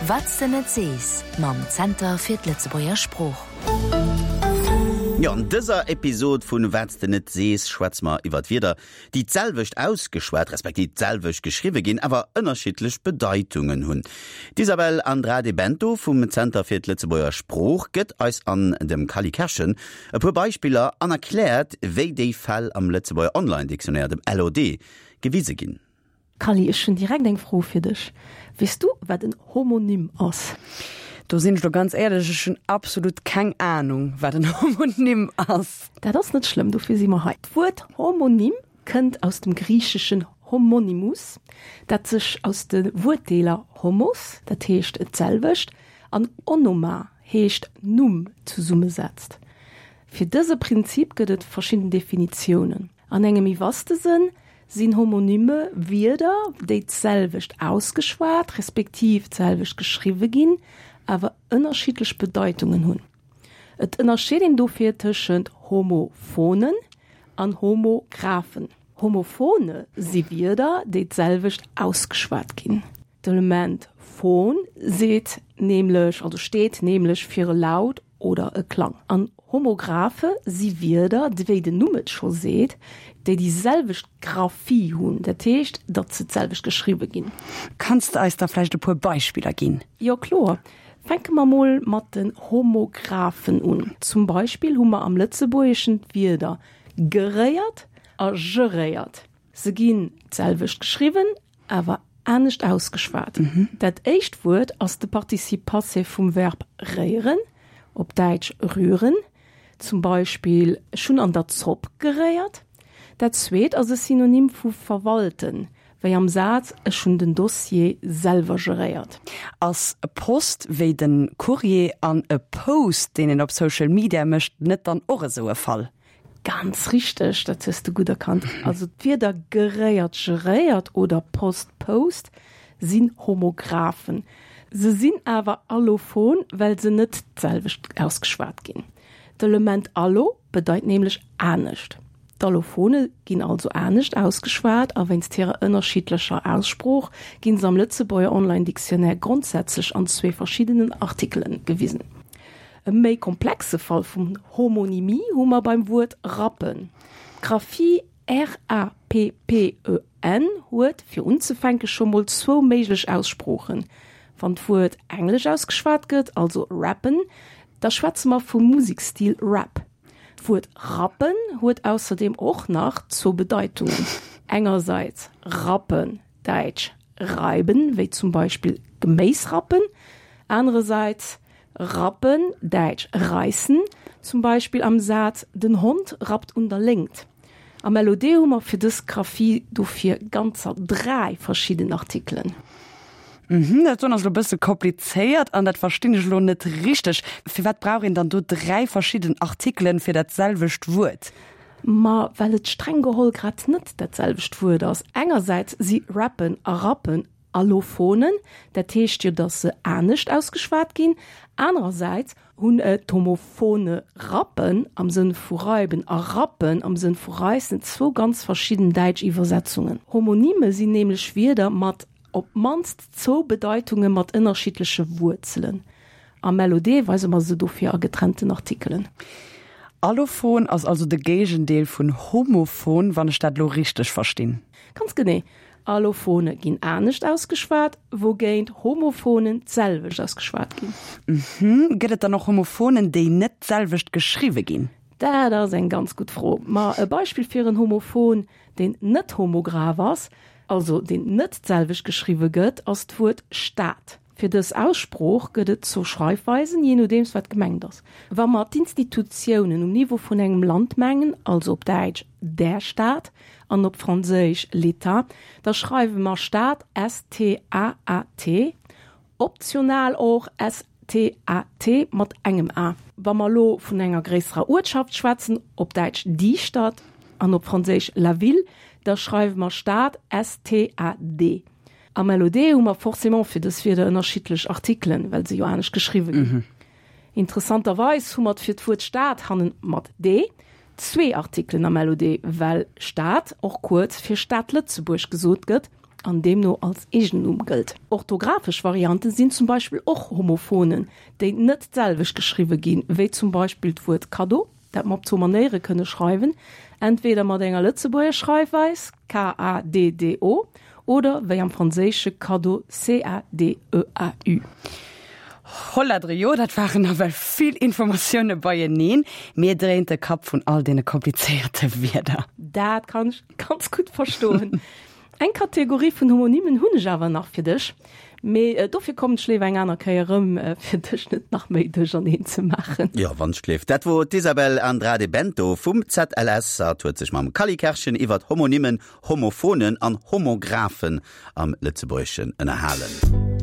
Wat s de net sees mam Zenter fir d'Lëtzebuerger Sprooch. Jo, an dëser Episod vun Wat s de net sees schwätze mer iwwer Wierder, déi d'selwecht ausgeschwat, respektiv d'selwecht geschriwwe ginn, awer ënnerschiddlech Bedeitungen hunn. D'Isabel Andrade Bento vum Zenter fir d'Lëtzebuerger Sprooch gëtt eis an dem Kally Kerschen e puer Beispiller an erkläert, wéi déi Fäll am Lëtzebuerger Online-Dictionnaire, dem LOD, gewise ginn. Kally, ech hunn direkt eng Fro fir dech. Weess du, wat en Homonym ass? Do sinn ech lo ganz éierlech, ech hunn absolut keng Anung, wat en Homonym ass. Dat ass net schlëmm, dofir si mer hei. D'Wuert Homonym kënnt aus dem Griicheschen homonymus, dat sech aus de Wuertdeeler homos, dat heescht d'selwecht, an onoma, heescht Numm, zesummesetzt. Fir dëse Prinzip gëtt et verschidden Definitiounen. An engem méi vaste Sënn sinn Homonyme Wierder, déi d'selwecht ausgeschwat respektiv d'selwecht geschriwwe ginn, awer ënnerschiddlech Bedeitungen hunn. Et ënnerscheet een dofir tëschent Homophonen an Homographen. Homophone si Wierder, déi d'selwecht ausgeschwat ginn. D'Element phon seet nämlech, also steet nämlech fir e Laut oder e Klang. An Homographe si Wierder, wéi den Numm et scho seet, déi déi selwecht Graphie hunn, dat heescht, datt se d'selwecht geschriwwe ginn. Kanns de eis da vläicht e puer Beispiller ginn? Jo, kloer. Fänke mer mol mat den Homographen un. Zum Beispill hu mer am Lëtzebuergeschen d'Wierder geréiert a geréiert. Se ginn d'selwecht geschriwwen, awer anescht ausgeschwat. Dat éischt Wuert ass de Participe passé vum Verb réieren, op Däitsch rühren, zum Beispill Ech hunn an der Zopp geréiert. Dat zweet ass e Synonym vu verwalten, wéi am Saz Ech hunn den Dossier selwer geréiert. Ass Post wéi de Courrier an e Post, deen een op Social Media mécht, net dann och esou e Fall? Ganz richteg, dat hues de gutt erkannt. Also d'Wierder geréiert, geréiert oder Post, Post sinn Homographen. Se sinn awer allophon, well se net d'selwecht ausgeschwat ginn. D'Element allo bedeit nämlech anescht. D'Allophone ginn also anescht ausgeschwat a wéinst hirer ënnerschiddlecher Aussprooch ginn se am Lëtzebuerger Online Dictionnaire grondsätzlech an zwee verschiddenen Artikelen gewisen. E méi komplexe Fall vun Homonymie hu mer beim Wuert rappen. D'Graphie r-a-p-p-e-n huet, fir unzefänke scho mol zwou méiglech Aussproochen. Wann d'Wuert englesch ausgeschwat gëtt, also rappen, da schwätze mer vum Musekstil Rap. D'Wuert rappen huet ausserdeem och nach zwou Bedeitungen, engersäits rappen, däitsch reiben, wéi zum Beispill Geméisrappen, anerersäits rappen, däitsch reißen, zum Beispill am Saz Den Hond rappt un der Léngt. Am LOD hu mer fir dës Graphie dofir ganzer 3 verschidden Artikelen. Mhm, dat doen ass elo bësse komplizéiert an dat verstinn ech elo net richteg. Firwat brauch een dann do 3 verschidden Artikelen fir dat selwecht Wuert? Ma well et streng geholl grad net dat selwecht Wuert ass. Engersäits si rappen a rappen Allophonen, dat heescht jo, datt se anescht ausgeschwat ginn. Anerersäits hunn d'Homophone rappen am Sënn vu reiben a rappen am Sënn vu reissen zwou ganz verschidden däitsch Iwwersetzungen. Homonyme sinn nämlech Wierder mat op d'mannst zwou Bedeitunge mat ënnerschiddleche Wuerzelen. Am LOD weise mer se dofir a getrennten Artikelen. Allophon ass also de Géigendeel vun homophon, wann ech dat elo richteg verstinn. Ganz genee. Allophone ginn anescht ausgeschwat, wougéint Homophonen d'selwecht ausgeschwat ginn. Mhm. Gëtt et dann och Homophonen, déi net d'selwecht geschriwwe ginn? Dat ass eng ganz gutt Fro. Ma e Beispill fir en Homophon, deen net homograph ass, also deen net d'selwecht geschriwwe gëtt, ass d'Wuert Stad. Fir dës Aussprooch gëtt et zwou Schreifweisen, jee nodeems wat gemengt ass. Wa mer d'Institutiounen um Niveau vun engem Land mengen, also op Däitsch der Staat an op Franséisch l'État, da schreiwe mer Staat S-T-A-A-T, optional och S-T-A-T mat engem A. Wa mer elo vun enger gréisserer Uertschaft schwätzen, op Däitsch die Stadt an op Franséisch la ville, da schreiwe mer Stad S-T-A-D. Am LOD hu mer forcément fir dës Wierder ënnerschiddlech Artikelen, well se jo anescht geschriwwe ginn. Interessanterweis hu mer fir d'Wuert Stad hannen mat d zwee Artikelen am LOD, well Stad och kuerz fir Stad Lëtzebuerg gesot gëtt. an deemno als Eegennumm gëllt. Orthografesch Variante sinn zum Beispill och Homophonen, déi net d'selwecht geschriwwe ginn, wéi zum Beispill d'Wuert Kaddo, dat mer op zwou Manéiere kënne schreiwen, entweder mat enger Lëtzebuerger Schreifweis, K-A-D-D-O, oder wéi am Franséische cadeau, C-A-D-E-A-U. Holladre jo, dat waren nawell vill Informatioune beieneen. Mir dréint de Kapp vun all deene komplizéierte Wierder. Dat kann ech ganz gutt verstoen. Eng Kategorie vun Homonymen hunn ech awer nach fir dech, mee dofir kommen ech léiwer eng aner Kéier erëm, fir dech net nach méi duercherneen ze maachen. Jo, wannschgleef. Dat wor d'Isabel Andrade Bento vum ZLS. Hatt huet sech mam Cally Kerschen iwwert Homonymen, Homophonen an Homographen am Lëtzebuergeschen ënnerhalen.